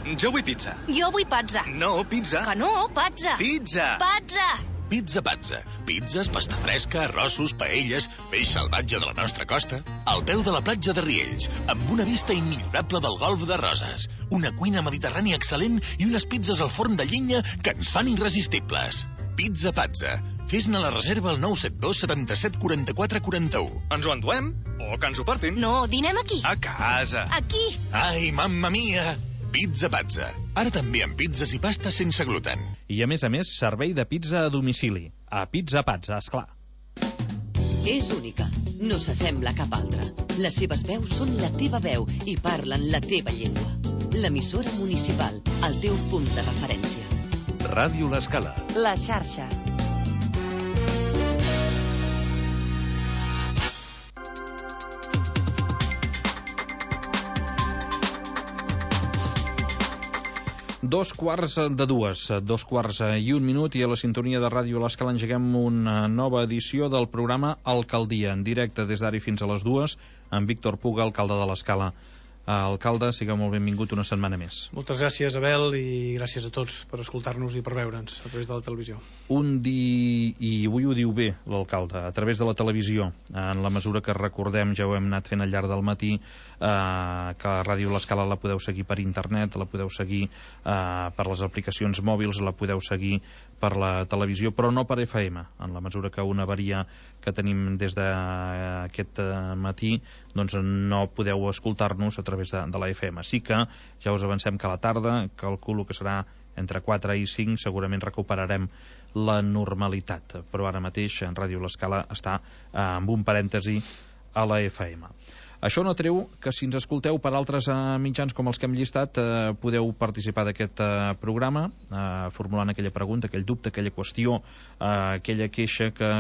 Jo vull pizza. Jo vull pizza. No, pizza. Que no, pizza. Pizza. Pizza. Pizza Pazza. Pizzas, pasta fresca, arrossos, paelles, peix salvatge de la nostra costa. Al peu de la platja de Riells, amb una vista immillorable del golf de Roses. Una cuina mediterrània excel·lent i unes pizzas al forn de llenya que ens fan irresistibles. Pizza Pazza. Fes-ne la reserva al 972 77 44 41. Ens ho enduem? O que ens ho portin? No, dinem aquí. A casa. Aquí. Ai, mamma mia! Pizza Pazza. Ara també amb pizzas i pastes sense gluten. I a més, servei de pizza a domicili. A Pizza Pazza, esclar. És única. No s'assembla a cap altra. Les seves veus són la teva veu i parlen la teva llengua. L'emissora municipal, el teu punt de referència. Ràdio L'Escala. La xarxa. Dos quarts i un minut, i a la sintonia de Ràdio L'Escala engeguem una nova edició del programa Alcaldia, en directe des d'ara fins a les 2, amb Víctor Puga, alcalde de l'Escala. Alcalde, sigueu molt benvingut una setmana més. Moltes gràcies, Abel, i gràcies a tots per escoltar-nos i per veure'ns a través de la televisió. I avui ho diu bé l'alcalde, a través de la televisió, en la mesura que recordem, ja ho hem anat fent al llarg del matí, que Ràdio L'Escala la podeu seguir per internet, la podeu seguir per les aplicacions mòbils, la podeu seguir per la televisió, però no per FM, en la mesura que una avaria que tenim des d'aquest matí, doncs no podeu escoltar-nos a través de la FM. Sí que ja us avancem que a la tarda, calculo que serà entre 4 i 5, segurament recuperarem la normalitat, però ara mateix en Ràdio L'Escala està amb un parèntesi a la FM. Això no treu que si ens escolteu per altres mitjans com els que hem llistat, podeu participar d'aquest programa formulant aquella pregunta, aquell dubte, aquella qüestió, aquella queixa que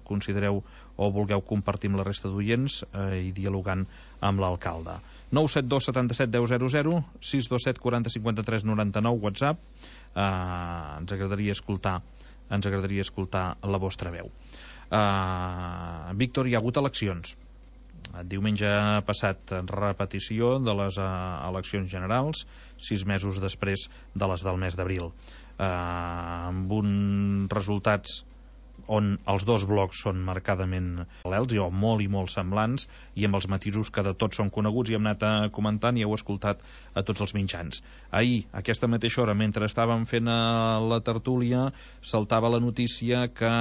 considereu o vulgueu compartir amb la resta d'oients i dialogant amb l'alcalde. 972 77 10 00, 627 40 53 99, WhatsApp. Ens agradaria escoltar la vostra veu. Víctor, hi ha hagut eleccions. Diumenge passat, repetició de les eleccions generals, 6 mesos després de les del mes d'abril, amb uns resultats on els dos blocs són marcadament paral·lels o molt i molt semblants, i amb els matisos que de tots són coneguts i hem anat comentant i heu escoltat a tots els mitjans. Ahir, a aquesta mateixa hora, mentre estàvem fent la tertúlia, saltava la notícia que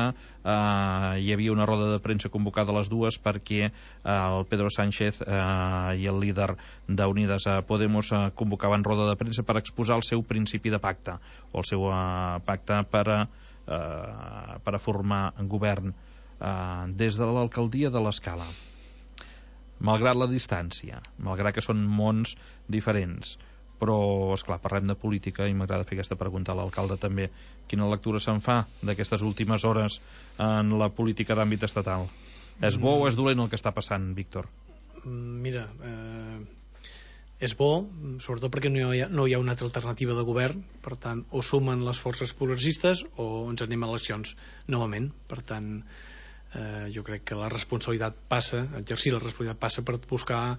hi havia una roda de premsa convocada a les 2 perquè el Pedro Sánchez i el líder d'Unidas Podemos convocaven roda de premsa per exposar el seu principi de pacte, o el seu pacte per a formar govern des de l'alcaldia de l'Escala. Malgrat la distància, malgrat que són mons diferents, però, esclar, parlem de política i m'agrada fer aquesta pregunta a l'alcalde també. Quina lectura se'n fa d'aquestes últimes hores en la política d'àmbit estatal? És bo o és dolent el que està passant, Víctor? Mira, és bo, sobretot perquè no hi ha una altra alternativa de govern. Per tant, o sumen les forces progressistes o ens anem a eleccions novament. Per tant, jo crec que la responsabilitat passa, exercir la responsabilitat passa per buscar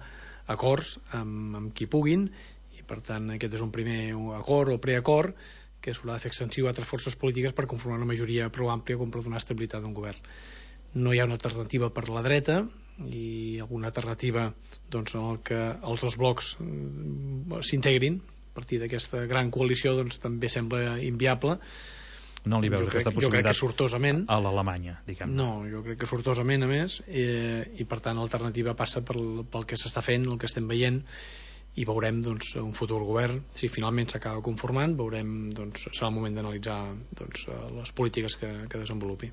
acords amb qui puguin, i per tant aquest és un primer acord o preacord que s'haurà de fer extensiu a altres forces polítiques per conformar una majoria prou àmplia com per donar estabilitat a un govern. No hi ha una alternativa per la dreta, i alguna alternativa doncs, en el que els dos blocs s'integrin a partir d'aquesta gran coalició doncs, també sembla inviable. No li veus aquesta possibilitat? Jo crec que sortosament a l'Alemanya, diguem. No, jo crec que sortosament, a més, i per tant l'alternativa passa pel que s'està fent, el que estem veient, i veurem doncs, un futur govern. Si finalment s'acaba conformant, veurem, doncs, serà el moment d'analitzar doncs, les polítiques que desenvolupi.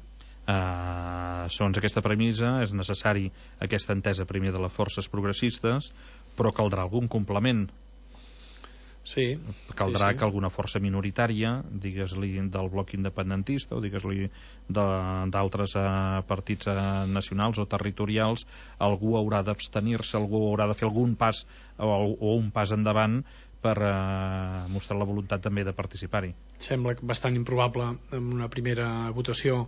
Segons aquesta premissa és necessari aquesta entesa primer de les forces progressistes, però caldrà algun complement. Sí, caldrà que alguna força minoritària, digues-li del bloc independentista o digues-li d'altres partits nacionals o territorials, algú haurà d'abstenir-se, algú haurà de fer algun pas o un pas endavant per mostrar la voluntat també de participar-hi. Sembla bastant improbable en una primera votació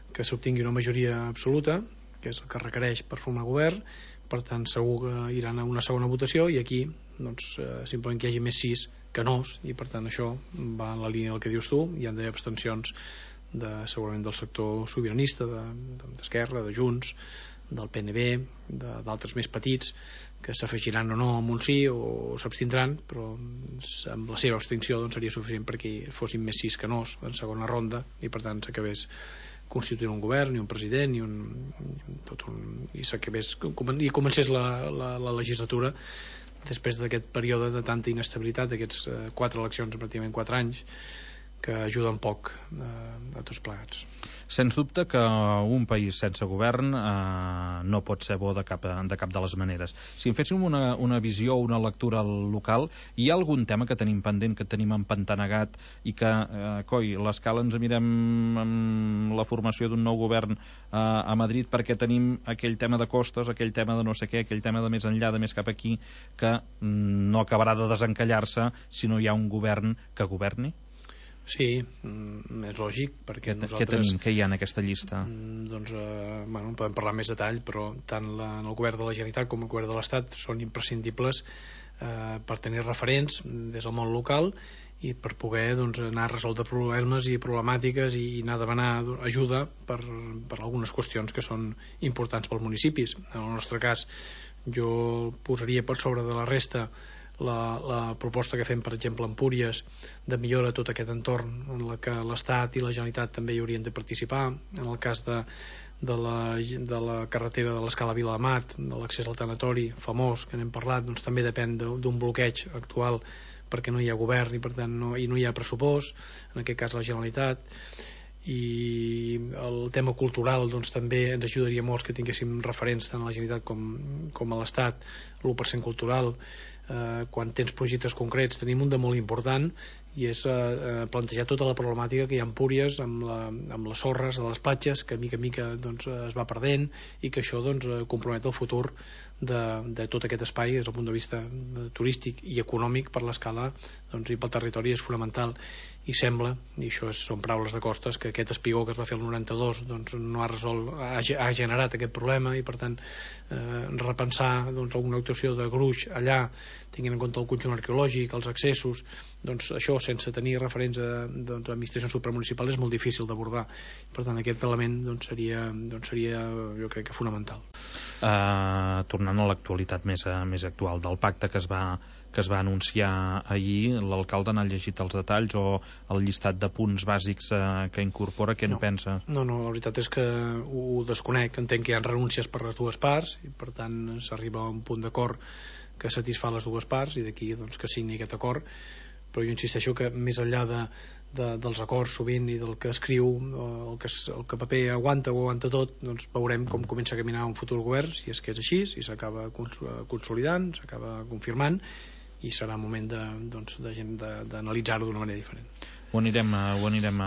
que s'obtingui una majoria absoluta, que és el que requereix per formar govern, per tant segur que iran a una segona votació, i aquí doncs, simplement que hi hagi més sís que nos, i per tant això va en la línia del que dius tu. Hi han d'haver abstencions segurament del sector sobiranista, d'Esquerra, de Junts, del PNB, d'altres més petits, que s'afegiran o no amb un sí o s'abstindran, però amb la seva abstenció doncs, seria suficient perquè fossin més sís que nos en segona ronda, i per tant s'acabés constituint un govern i un president i comencés la legislatura després d'aquest període de tanta inestabilitat, d'aquests 4 eleccions en pràcticament 4 anys, que ajuden poc a tots plegats. Sens dubte que un país sense govern no pot ser bo de cap de les maneres. Si en féssim una visió o una lectura local, hi ha algun tema que tenim pendent, que tenim empantanegat i que, l'escala ens mirem amb la formació d'un nou govern a Madrid perquè tenim aquell tema de costes, aquell tema de no sé què, aquell tema de més enllà, de més cap aquí, que no acabarà de desencallar-se si no hi ha un govern que governi? Sí, és lògic, perquè nosaltres... Què tenim? Què hi ha en aquesta llista? Doncs, podem parlar més detall, però tant el govern de la Generalitat com el govern de l'Estat són imprescindibles per tenir referents des del món local i per poder anar a resoldre problemes i problemàtiques i anar a demanar ajuda per algunes qüestions que són importants pels municipis. En el nostre cas, jo posaria per sobre de la resta la proposta que fem, per exemple, a Empúries, de millora tot aquest entorn en la que l'Estat i la Generalitat també hi haurien de participar. En el cas de la carretera de l'Escala Vilademat, de l'accés al tanatori famós que n'hem parlat, doncs també depèn d'un bloqueig actual perquè no hi ha govern i per tant no hi ha pressupost, en aquest cas la Generalitat. I el tema cultural doncs també ens ajudaria molt que tinguéssim referents tant a la Generalitat com a l'Estat. l'1% cultural, quan tens projectes concrets, tenim un de molt important i és plantejar tota la problemàtica que hi ha a Empúries amb les sorres a les platges, que mica en mica doncs, es va perdent, i que això doncs, compromet el futur de tot aquest espai des del punt de vista turístic i econòmic per l'escala, doncs, i pel territori és fonamental. I sembla, i això són paraules de Costas, que aquest espigó que es va fer el 92 doncs, no ha resolt, ha generat aquest problema, i per tant repensar doncs, alguna actuació de gruix allà, tinguent en compte el conjunt arqueològic, els accessos, doncs això sense tenir referents a administracions supramunicipals és molt difícil d'abordar. Per tant aquest element doncs, seria jo crec que fonamental. Tornant a l'actualitat més actual del pacte que es va anunciar ahir, l'alcalde n'ha llegit els detalls o el llistat de punts bàsics que incorpora, què en pensa? No, la veritat és que ho desconec. Entenc que hi ha renúncies per les dues parts i per tant s'arriba a un punt d'acord que satisfà les dues parts i d'aquí doncs, que signi aquest acord. Però jo insisteixo que més enllà dels acords sovint i del que escriu, el que paper aguanta tot, doncs veurem com comença a caminar un futur govern, si és que és així, si s'acaba consolidant, s'acaba confirmant, i serà moment d'analitzar-ho d'una manera diferent. Ho anirem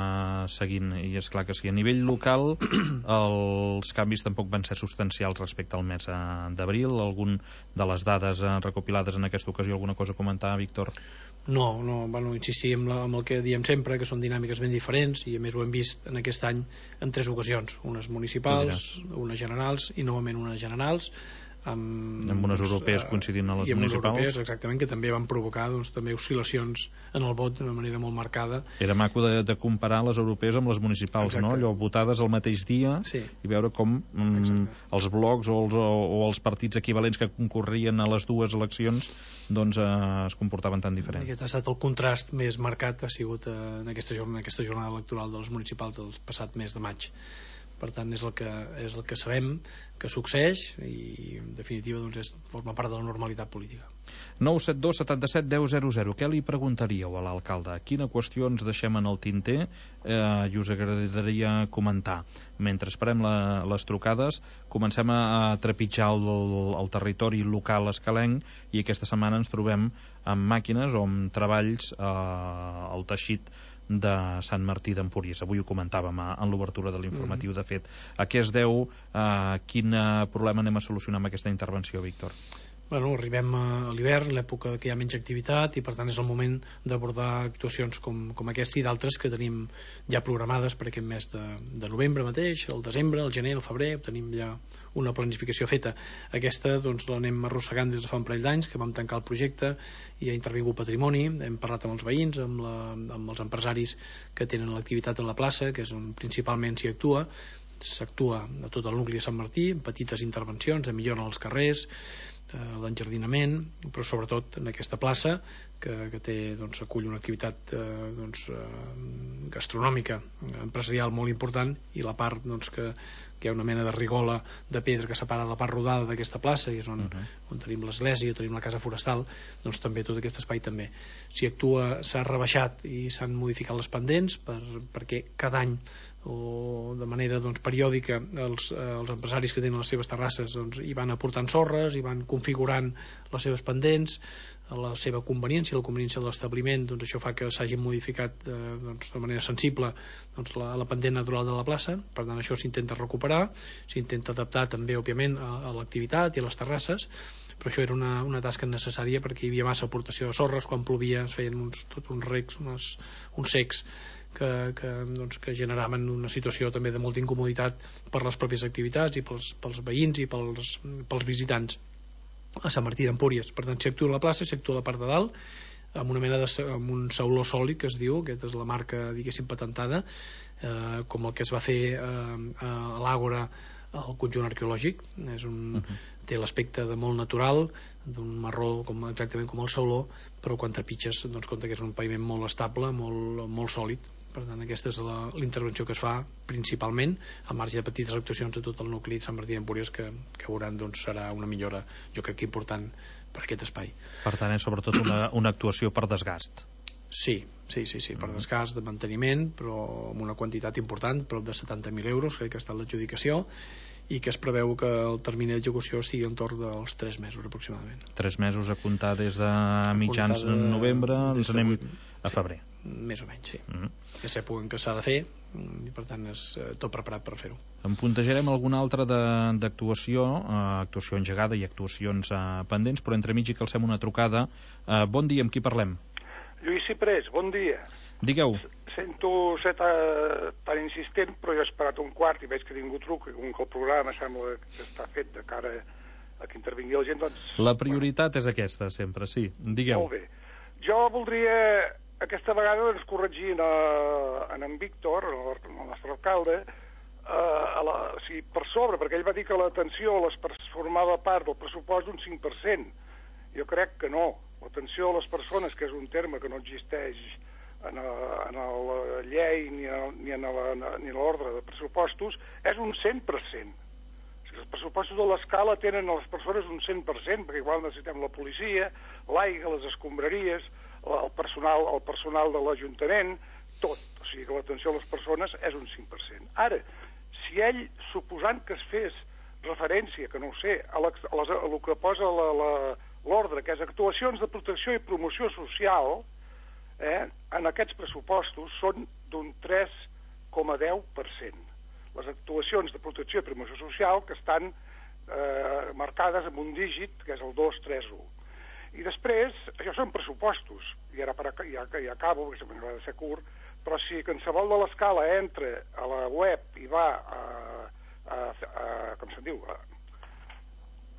seguint, i és clar que sí. A nivell local els canvis tampoc van ser substancials respecte al mes d'abril. Algun de les dades recopilades en aquesta ocasió, alguna cosa a comentar, Víctor? No, insistir amb el que diem sempre, que són dinàmiques ben diferents, i a més ho hem vist en aquest any en 3 ocasions, unes municipals, unes generals i novament unes generals, amb unes europees coincidint a les municipals, europees, exactament, que també van provocar doncs, també oscil·lacions en el vot d'una manera molt marcada. Era maco de comparar les europees amb les municipals. Exacte. No? Allò votades al mateix dia, sí. I veure com els blocs o els partits equivalents que concorrien a les dues eleccions doncs es comportaven tan diferent. Aquest ha estat el contrast més marcat, ha sigut en aquesta jornada electoral de les municipals del passat mes de maig. Per tant és el que sabem que succeeix i en definitiva doncs, forma part de la normalitat política. 972 77 10 00. Què li preguntaríeu a l'alcalde? Quina qüestió ens deixem en el tinter i us agradaria comentar? Mentre esperem les trucades, comencem a trepitjar el territori local escalenc, i aquesta setmana ens trobem amb màquines o amb treballs al teixit de Sant Martí d'Empúries. Avui ho comentàvem en l'obertura de l'informatiu. De fet, a què es deu? Quin problema anem a solucionar amb aquesta intervenció, Víctor? Arribem a l'hivern, l'època que hi ha menys activitat, i per tant és el moment d'abordar actuacions com aquesta i d'altres que tenim ja programades per aquest mes de novembre mateix, el desembre, el gener, el febrer. Tenim ja una planificació feta. Aquesta doncs l'anem arrossegant des de fa un parell d'anys, que vam tancar el projecte i ha intervingut patrimoni, hem parlat amb els veïns, amb els empresaris que tenen l'activitat a la plaça, que és on principalment s'actua a tot el nucli de Sant Martí, amb petites intervencions de millora als carrers, l'enjardinament, però sobretot en aquesta plaça que té, doncs, acull una activitat gastronòmica, empresarial molt important, i la part doncs, que hi ha una mena de rigola de pedra que separa la part rodada d'aquesta plaça, i és on tenim l'església, tenim la casa forestal, doncs també tot aquest espai també s'ha rebaixat i s'han modificat les pendents perquè cada any o de manera periòdica els empresaris que tenen les seves terrasses hi van aportant sorres, hi van configurant les seves pendents a la seva conveniència, la conveniència de l'establiment, això fa que s'hagin modificat de manera sensible la pendent natural de la plaça. Per tant, això s'intenta recuperar, s'intenta adaptar també, òbviament, a l'activitat i a les terrasses, però això era una tasca necessària perquè hi havia massa aportació de sorres, quan plovia es feien uns recs, uns secs que generaven una situació també de molta incomoditat per les pròpies activitats i pels veïns i pels visitants a Sant Martí d'Empúries. Per tant, s'actua a la plaça, s'actua a la part de dalt amb una mena amb un sauló sòlid, que es diu, aquesta és la marca, diguéssim, patentada, com el que es va fer a l'Àgora al conjunt arqueològic. Té l'aspecte de molt natural, d'un marró exactament com el sauló, però quan trepitges compte que és un paviment molt estable, molt sòlid. Per tant, aquesta és la intervenció que es fa principalment, al marge de petites actuacions a tot el nucli de Sant Martí d'Empúries que veuran, serà una millora, jo crec que important per aquest espai. Per tant, és sobretot una actuació per desgast. Sí, per desgast de manteniment, però amb una quantitat important, prop de 70.000 euros, crec que ha estat l'adjudicació, i que es preveu que el termini d'execució estigui entorn dels 3 mesos aproximadament. 3 mesos a comptar des de mitjans de novembre, ens anem a febrer. Més o menys, sí. És època en què s'ha de fer, i per tant és tot preparat per fer-ho. En puntejarem alguna altra d'actuació, actuació engegada i actuacions pendents, però entremig que alcem una trucada. Bon dia, amb qui parlem? Lluís Ciprés, bon dia. Digueu. Sento ser tan insistent, però jo he esperat un quart i veig que ningú truca, com que el programa sembla que està fet de cara a que intervingui la gent, doncs... La prioritat és aquesta, sempre, sí. Digueu. Molt bé. Jo voldria aquesta vegada corregir en Víctor, el nostre alcalde, per sobre, perquè ell va dir que l'atenció formava part del pressupost d'un 5%. Jo crec que no. L'atenció a les persones, que és un terme que no existeix en la llei ni en l'ordre de pressupostos, és un 100%. Els pressupostos de l'escala tenen a les persones un 100%, perquè igual necessitem la policia, l'aigua, les escombraries, el personal de l'Ajuntament, tot. O sigui que l'atenció a les persones és un 5%. Ara, si ell, suposant que es fes referència, que no ho sé, a el que posa l'ordre, que és actuacions de protecció i promoció social, en aquests pressupostos són d'un 3,10%. Les actuacions de protecció i promoció social que estan marcades amb un dígit, que és el 231. I després, això són pressupostos, i ara ja acabo, perquè sempre m'ha de ser curt, però si qualsevol de l'escala entra a la web i va com se'n diu, a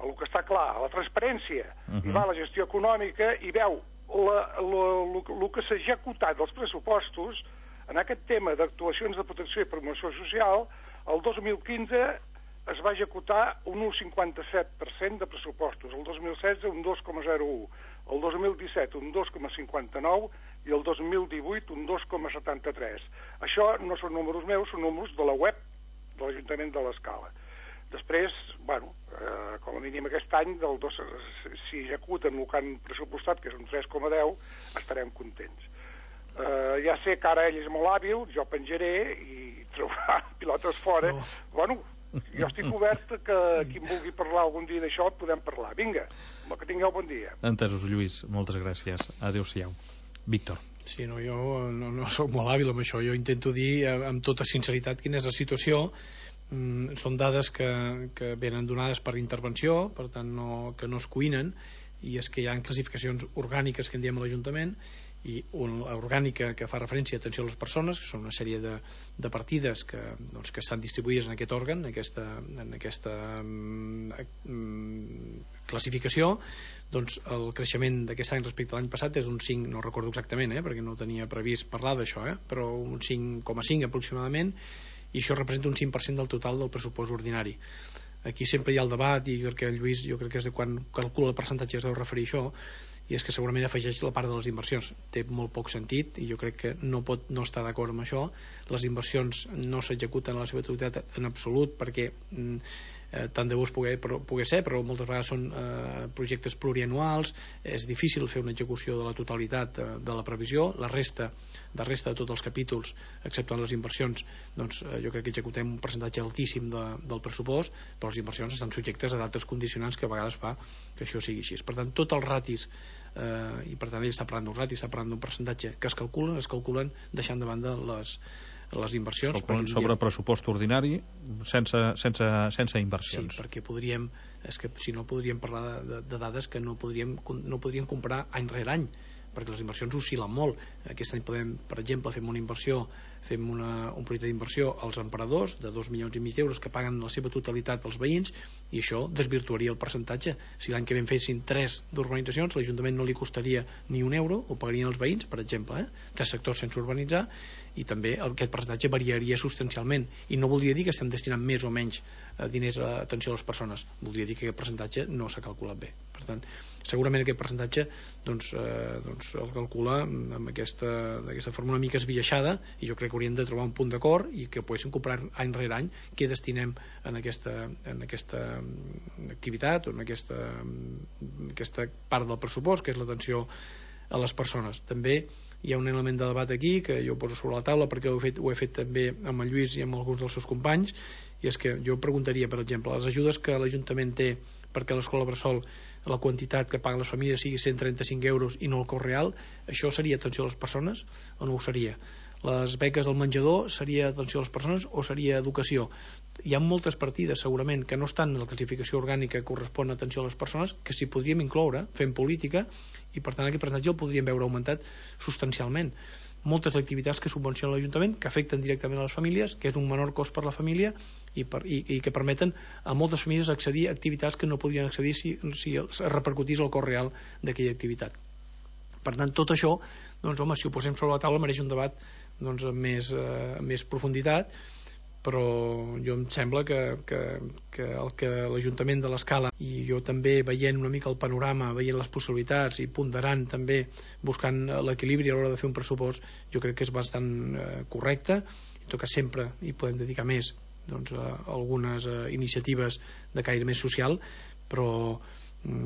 el que està clar, a la transparència, i va a la gestió econòmica i veu el que s'ha executat dels pressupostos en aquest tema d'actuacions de protecció i promoció social, el 2015 es va executar un 1,57% de pressupostos, el 2016 un 2,01%, el 2017 un 2,59% i el 2018 un 2,73%. Això no són números meus, són números de la web de l'Ajuntament de l'Escala. Després, com a mínim aquest any, si executen el que han pressupostat, que és un 3,10, estarem contents. Ja sé que ara ell és molt hàbil, jo penjaré i trobarà pilotes fora. Bueno, jo estic obert que qui em vulgui parlar algun dia d'això podem parlar. Vinga, que tingueu bon dia. Entesos, Lluís, moltes gràcies. Adéu-siau. Víctor. Sí, no, jo no soc molt hàbil amb això. Jo intento dir amb tota sinceritat quina és la situació. Són dades que venen donades per intervenció, per tant que no es cuinen, i és que hi ha classificacions orgàniques que en diem a l'Ajuntament, i una orgànica que fa referència a atenció a les persones, que són una sèrie de partides que estan distribuïdes en aquest òrgan, en aquesta classificació. Doncs el creixement d'aquest any respecte a l'any passat és un 5, no recordo exactament, perquè no tenia previst parlar d'això, però un 5,5 aproximadament, i això representa un 5% del total del pressupost ordinari. Aquí sempre hi ha el debat, i perquè el Lluís, jo crec que és de quan calcula el percentatge es deu referir a això, i és que segurament afegeix la part de les inversions. Té molt poc sentit, i jo crec que no pot no estar d'acord amb això. Les inversions no s'executen a la seva totalitat en absolut, perquè tant de bo es pugui ser, però moltes vegades són projectes plurianuals, és difícil fer una execució de la totalitat de la previsió. La resta de tots els capítols, excepte les inversions, doncs jo crec que executem un percentatge altíssim del pressupost, però les inversions estan subjectes a d'altres condicionants que a vegades fa que això sigui així. Per tant, tots els ratis, i per tant ell està parlant d'un rati, està parlant d'un percentatge que es calculen deixant de banda les inversions sobre pressupost ordinari sense inversions. Sí, perquè si no podríem parlar de dades que no podríem comparar any rere any, perquè les inversions oscil·len molt. Aquest any podem, per exemple, fem un projecte d'inversió als emperadors de 2,5 milions d'euros que paguen la seva totalitat als veïns, i això desvirtuaria el percentatge. Si l'any que vam fessin 3 d'urbanitzacions, l'Ajuntament no li costaria ni un euro, ho pagarien els veïns, per exemple, 3 sectors sense urbanitzar, i també aquest percentatge variaria substancialment, i no voldria dir que estem destinant més o menys diners a atenció a les persones, voldria dir que aquest percentatge no s'ha calculat bé. Per tant, segurament aquest percentatge el calcula amb d'aquesta forma una mica esbiaixada, i jo crec que hauríem de trobar un punt d'acord i que poguéssim comparar any rere any què destinem en aquesta activitat o en aquesta part del pressupost, que és l'atenció a les persones. També hi ha un element de debat aquí que jo poso sobre la taula, perquè ho he fet també amb el Lluís i amb alguns dels seus companys, i és que jo preguntaria, per exemple, les ajudes que l'Ajuntament té perquè l'escola bressol, la quantitat que paguen les famílies sigui 135 euros i no el cost real, això seria atenció a les persones o no ho seria? Les beques del menjador seria atenció a les persones o seria educació? Hi ha moltes partides segurament que no estan en la classificació orgànica que correspon a atenció a les persones, que s'hi podríem incloure fent política, i per tant aquest percentatge el podríem veure augmentat substancialment. Moltes activitats que subvenciona l'Ajuntament, que afecten directament a les famílies, que és un menor cost per la família, i que permeten a moltes famílies accedir a activitats que no podrien accedir si es repercutís el cost real d'aquella activitat. Per tant, tot això, doncs, home, si ho posem sobre la taula mereix un debat amb més profunditat, però jo em sembla que el que l'Ajuntament de l'Escala, i jo també veient una mica el panorama, veient les possibilitats i ponderant també, buscant l'equilibri a l'hora de fer un pressupost, jo crec que és bastant correcte. En tot cas sempre hi podem dedicar més a algunes iniciatives de caire més social, però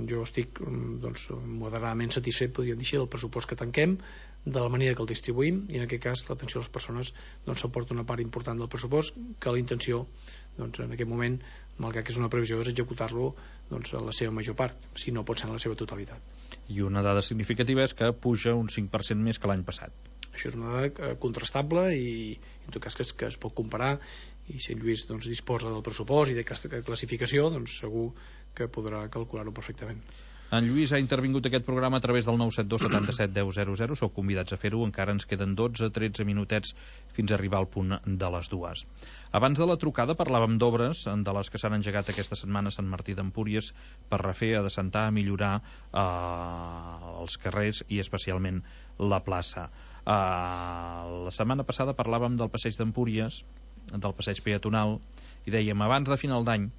jo estic moderadament satisfet, podríem dir així, del pressupost que tanquem, de la manera que el distribuïm, i en aquest cas l'atenció a les persones s'aporta una part important del pressupost, que la intenció en aquest moment, malgrat que és una previsió, és executar-lo a la seva major part, si no pot ser en la seva totalitat. I una dada significativa és que puja un 5% més que l'any passat. Això és una dada contrastable i en tot cas que es pot comparar, i si en Lluís disposa del pressupost i d'aquesta classificació, segur que podrà calcular-ho perfectament. En Lluís ha intervingut aquest programa a través del 972 77 10 00. Sou convidats a fer-ho, encara ens queden 12-13 minutets fins a arribar al punt de les 2. Abans de la trucada parlàvem d'obres de les que s'han engegat aquesta setmana a Sant Martí d'Empúries per refer, adessentar, millorar els carrers i especialment la plaça. La setmana passada parlàvem del passeig d'Empúries, del passeig peatonal, i dèiem abans de final d'any,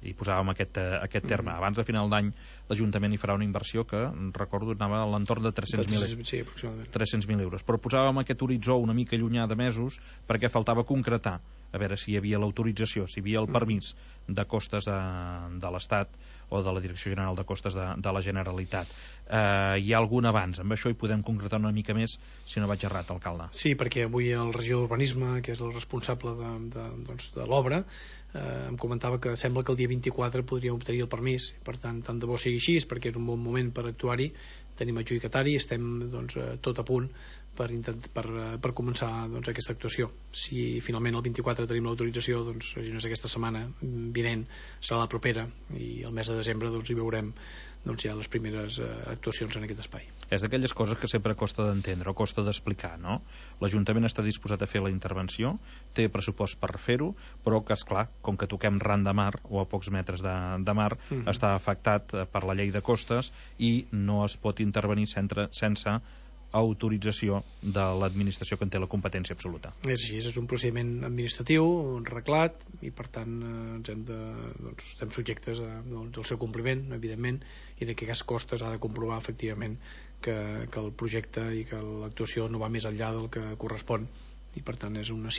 i posàvem aquest terme, abans de final d'any l'Ajuntament hi farà una inversió que recordo anava a l'entorn de 300.000 euros, però posàvem aquest horitzó una mica llunyà de mesos perquè faltava concretar, a veure si hi havia l'autorització, si hi havia el permís de costes de l'Estat o de la Direcció General de Costes de la Generalitat. Hi ha algun avanç? Amb això hi podem concretar una mica més, si no vaig errat, alcalde. Sí, perquè avui el regidor d'Urbanisme, que és el responsable de l'obra, em comentava que sembla que el dia 24 podríem obtenir el permís. Per tant de bo sigui així, perquè és un bon moment per actuar-hi. Tenim adjudicatari, estem tot a punt per començar doncs, aquesta actuació. Si finalment el 24 tenim l'autorització, doncs si no és aquesta setmana vinent serà la propera, i el mes de desembre doncs, hi veurem doncs, ja les primeres actuacions en aquest espai. És d'aquelles coses que sempre costa d'entendre o costa d'explicar, no? L'Ajuntament està disposat a fer la intervenció, té pressupost per fer-ho, però que, esclar, com que toquem ran de mar o a pocs metres de mar, està afectat per la llei de costes i no es pot intervenir sense autorització de l'administració que en té la competència absoluta. És així, és un procediment administratiu reglat i per tant estem subjectes al seu compliment, evidentment, i en aquest cas costes ha de comprovar efectivament que el projecte i que l'actuació no va més enllà del que correspon, i per tant és una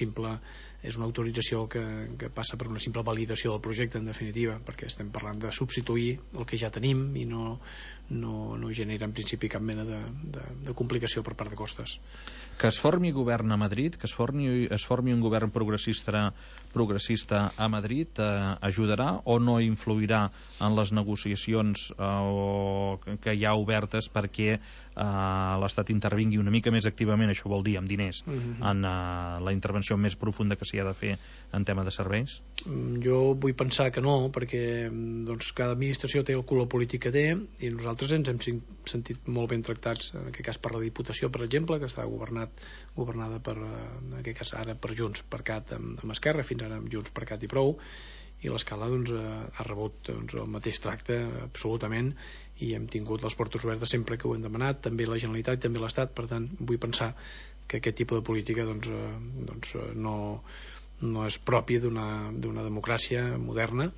autorització que passa per una simple validació del projecte, en definitiva, perquè estem parlant de substituir el que ja tenim i no genera en principi cap mena de complicació per part de costes. Que es formi govern a Madrid, que es formi un govern progressista a Madrid, ajudarà o no influirà en les negociacions que hi ha obertes perquè l'Estat intervingui una mica més activament, això vol dir amb diners, en la intervenció més profunda que s'hi ha de fer en tema de serveis? Jo vull pensar que no, perquè doncs, cada administració té el color polític que té, i nosaltres ens hem sentit molt ben tractats, en aquest cas per la Diputació, per exemple, que està governada per, en aquest cas ara per Junts per Cat amb Esquerra, fins ara amb Junts per Cat i prou, i l'Escala doncs, ha rebut doncs, el mateix tracte absolutament, i hem tingut les portes obertes sempre que ho hem demanat, també la Generalitat, també l'Estat. Per tant vull pensar que aquest tipus de política no és propi d'una democràcia moderna,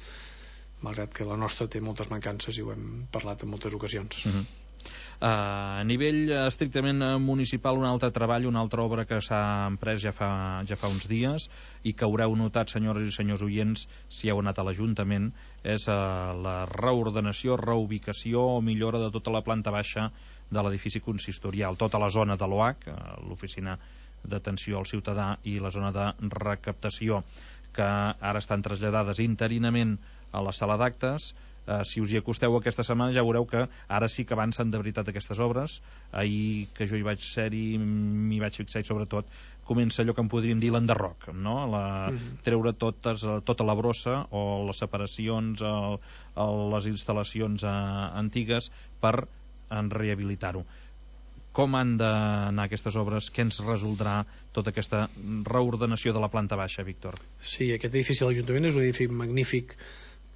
malgrat que la nostra té moltes mancances i ho hem parlat en moltes ocasions. A nivell estrictament municipal, un altre treball, una altra obra que s'ha emprès ja fa uns dies i que haureu notat, senyores i senyors oients, si heu anat a l'Ajuntament, és la reordenació, reubicació o millora de tota la planta baixa de l'edifici consistorial, tota la zona de l'OAC, l'oficina d'atenció al ciutadà, i la zona de recaptació, que ara estan traslladades interinament a la sala d'actes. Si us hi acosteu aquesta setmana ja veureu que ara sí que avancen de veritat aquestes obres. Ahir que jo hi vaig ser-hi m'hi vaig fixar, i sobretot comença allò que en podríem dir l'enderroc, no? Treure tota la brossa o les separacions, les instal·lacions antigues per rehabilitar-ho. Com han d'anar aquestes obres? Què ens resoldrà tota aquesta reordenació de la planta baixa, Víctor? Sí, aquest edifici de l'Ajuntament és un edifici magnífic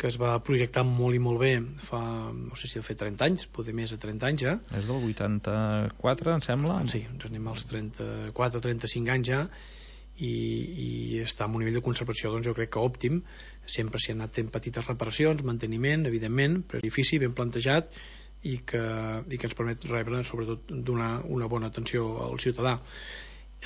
que es va projectar molt i molt bé fa, no sé si ha fet 30 anys, potser més de 30 anys ja. És del 84, em sembla? Sí, ens anem als 34 o 35 anys ja, i està en un nivell de conservació, doncs jo crec que òptim. Sempre s'hi han anat fent petites reparacions, manteniment, evidentment, però edifici ben plantejat i que ens permet rebre, sobretot donar una bona atenció al ciutadà.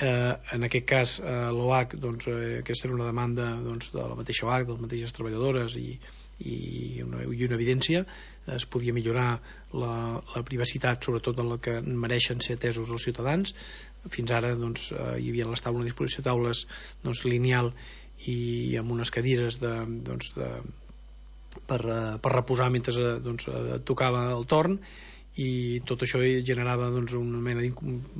En aquest cas l'OAC, doncs, aquesta era una demanda doncs, de la mateixa OAC, de les mateixes treballadores, i una evidència. Es podia millorar la privacitat, sobretot en la que mereixen ser atesos els ciutadans. Fins ara doncs, hi havia a les taules, una disposició de taules doncs, lineal i amb unes cadires per reposar mentre doncs, tocava el torn, i tot això generava doncs, una mena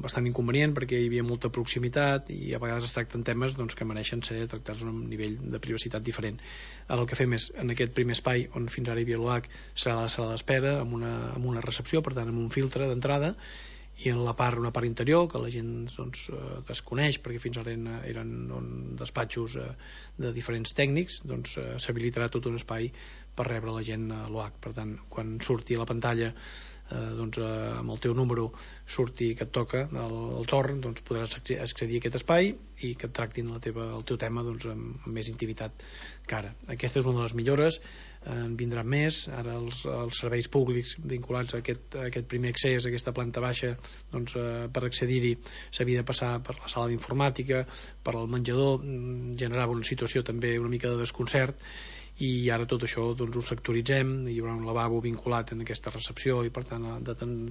bastant inconvenient, perquè hi havia molta proximitat i a vegades es tracten temes doncs, que mereixen ser tractats a un nivell de privacitat diferent. Ara el que fem és, en aquest primer espai on fins ara hi havia l'OAC, serà la sala d'espera amb una recepció, per tant amb un filtre d'entrada, i en una part interior que la gent doncs, desconeix, perquè fins ara eren despatxos de diferents tècnics, doncs s'habilitarà tot un espai per rebre la gent a l'OAC. Per tant, quan surti a la pantalla doncs, amb el teu número surti que et toca el torn, doncs podràs accedir a aquest espai i que et tractin el teu tema doncs, amb més intimitat que ara. Aquesta és una de les millores, en vindran més. Ara els serveis públics vinculats a aquest primer accés, a aquesta planta baixa, doncs, per accedir-hi s'havia de passar per la sala d'informàtica, per al menjador, generava una situació també una mica de desconcert, i ara tot això doncs, ho sectoritzem. Hi haurà un lavabo vinculat en aquesta recepció i per tant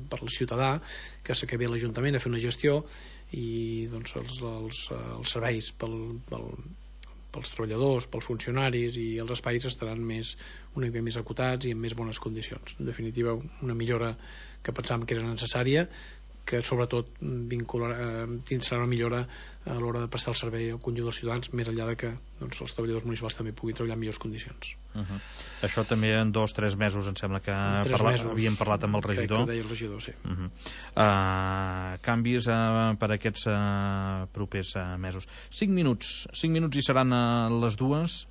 per al ciutadà que s'acabi a l'Ajuntament a fer una gestió, i doncs, els serveis pels treballadors, pels funcionaris i els espais estaran una mica més acotats i en més bones condicions. En definitiva, una millora que pensàvem que era necessària, que sobretot tindrà una millora a l'hora de prestar el servei al conjunt dels ciutadans, més enllà de que doncs, els treballadors municipals també puguin treballar en millors condicions. Això també en 2-3 mesos em sembla que havíem parlat amb el regidor. Que deia el regidor, sí. Canvis per aquests propers mesos. 5 minuts i seran les 2.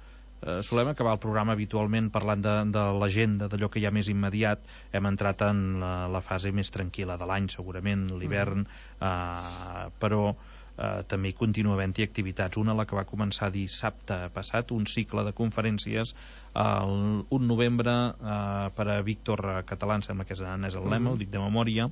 Solem acabar el programa habitualment parlant de l'agenda, d'allò que hi ha més immediat. Hem entrat en la fase més tranquil·la de l'any, segurament, l'hivern, però també hi continua havent-hi activitats. Una, la que va començar dissabte passat, un cicle de conferències el 1 novembre per a Víctor Català, em sembla que és el lema, ho dic de memòria.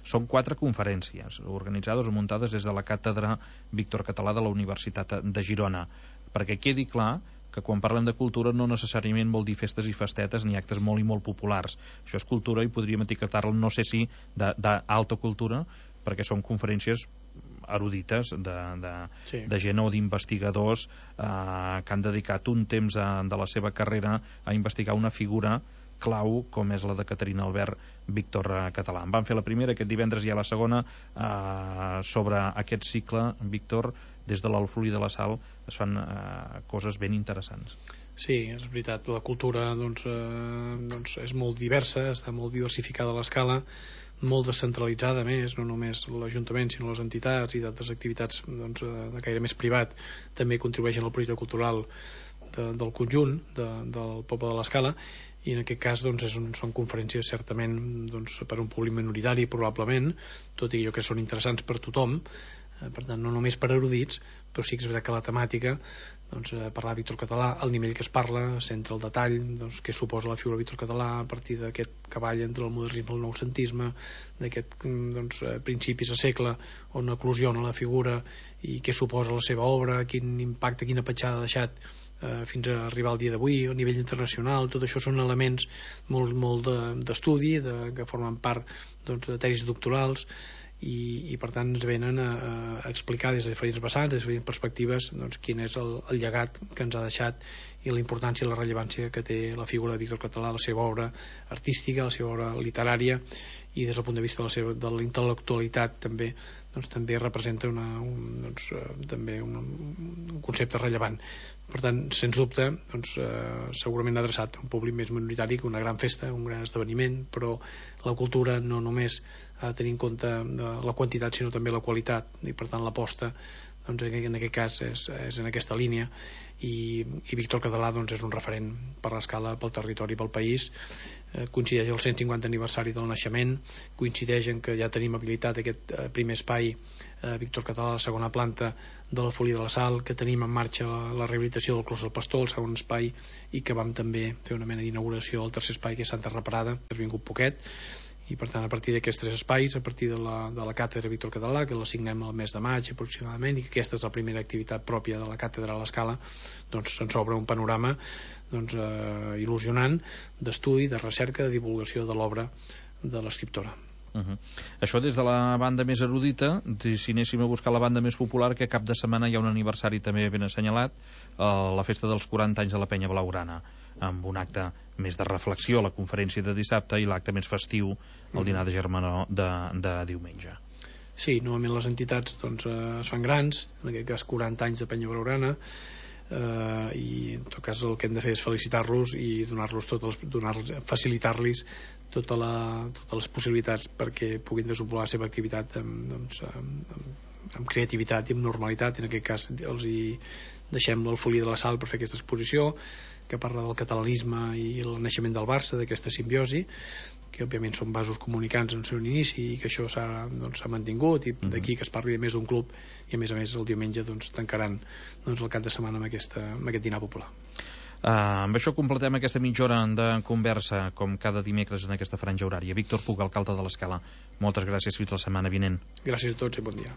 Són 4 conferències organitzades o muntades des de la càtedra Víctor Català de la Universitat de Girona, perquè quedi clar que quan parlem de cultura no necessàriament vol dir festes i festetes ni actes molt i molt populars. Això és cultura i podríem etiquetar-la, no sé si d'alta cultura, perquè són conferències erudites de gent o d'investigadors que han dedicat un temps de la seva carrera a investigar una figura clau com és la de Caterina Albert Víctor Català. En van fer la primera, aquest divendres hi ha la segona sobre aquest cicle. Víctor, des de l'Alfulí de la Sal es fan coses ben interessants. Sí, és veritat, la cultura doncs, és molt diversa, està molt diversificada a l'escala, molt descentralitzada més, no només l'Ajuntament sinó les entitats i d'altres activitats doncs, de caire més privat també contribueixen al projecte cultural del conjunt del poble de l'Escala, i en aquest cas doncs, són conferències certament doncs, per un públic minoritari probablement, tot i que són interessants per tothom, per tant no només per erudits, però sí que és veritat que la temàtica doncs, parlar de Víctor Català, el nivell que es parla, centra el detall, doncs, què suposa la figura de Víctor Català a partir d'aquest cavall entre el modernisme i el noucentisme, d'aquest doncs, principis de segle on eclosiona la figura i què suposa la seva obra, quin impacte, quina petjada ha deixat fins a arribar al dia d'avui, a nivell internacional. Tot això són elements molt d'estudi, que formen part doncs, de tesis doctorals, i per tant ens venen a explicar des de diferents vessants, des de diferents perspectives, doncs, quin és el llegat que ens ha deixat i la importància i la rellevància que té la figura de Víctor Català, la seva obra artística, la seva obra literària, i des del punt de vista de la intel·lectualitat també, doncs, també representa un concepte rellevant. Per tant, sens dubte, doncs, segurament adreçat a un públic més minoritari que una gran festa, un gran esdeveniment, però la cultura no només ha de tenir en compte la quantitat sinó també la qualitat, i per tant l'aposta doncs, en aquest cas és en aquesta línia, i Víctor Català doncs, és un referent per l'Escala, pel territori, pel país. Coincideix el 150 aniversari del naixement, coincideix en que ja tenim habilitat aquest primer espai Víctor Català a la segona planta de l'Alfulí de la Sal, que tenim en marxa la rehabilitació del Clos del Pastor, el segon espai, i que vam també fer una mena d'inauguració del tercer espai, que és Santa Reparada, que ha vingut poquet. I per tant, a partir d'aquests 3 espais, a partir de la càtedra Víctor Català, que la signem el mes de maig aproximadament, i que aquesta és la primera activitat pròpia de la càtedra a l'Escala, doncs se'ns obre un panorama doncs, il·lusionant d'estudi, de recerca, de divulgació de l'obra de l'escriptora. Això des de la banda més erudita. Si anéssim a buscar la banda més popular, que cap de setmana hi ha un aniversari també ben assenyalat, la festa dels 40 anys de la Penya Blaugrana, amb un acte més de reflexió, la conferència de dissabte, i l'acte més festiu, el dinar de germanor de diumenge. Sí, normalment les entitats doncs, es fan grans, en aquest cas 40 anys de Penya Blaugrana, i en tot cas el que hem de fer és felicitar-los i facilitar-los totes les possibilitats perquè puguin desenvolupar la seva activitat amb creativitat i amb normalitat. En aquest cas els hi deixem l'Alfulí de la Sal per fer aquesta exposició que parla del catalanisme i el naixement del Barça, d'aquesta simbiosi, que òbviament són vasos comunicants en el seu inici i que això s'ha mantingut, i d'aquí que es parli més d'un club, i a més el diumenge doncs, tancaran el cap de setmana amb aquest dinar popular. Amb això completem aquesta mitja hora de conversa com cada dimecres en aquesta franja horària. Víctor Puig, alcalde de l'Escala, moltes gràcies, fins la setmana vinent. Gràcies a tots i bon dia.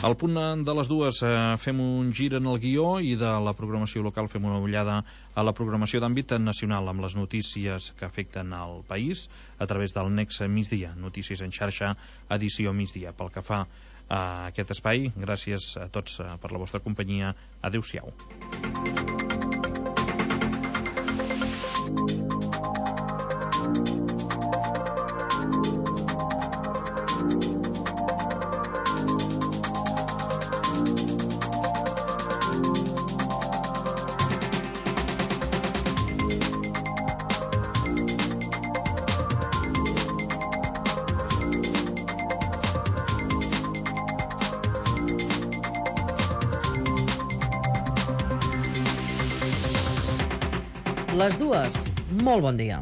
Al punt de les 2 fem un gir en el guió i de la programació local fem una ullada a la programació d'àmbit nacional amb les notícies que afecten al país a través del Nexe Migdia, notícies en xarxa, edició migdia. Pel que fa a aquest espai, gràcies a tots per la vostra companyia. Adéu-siau. Les dues. Molt bon dia.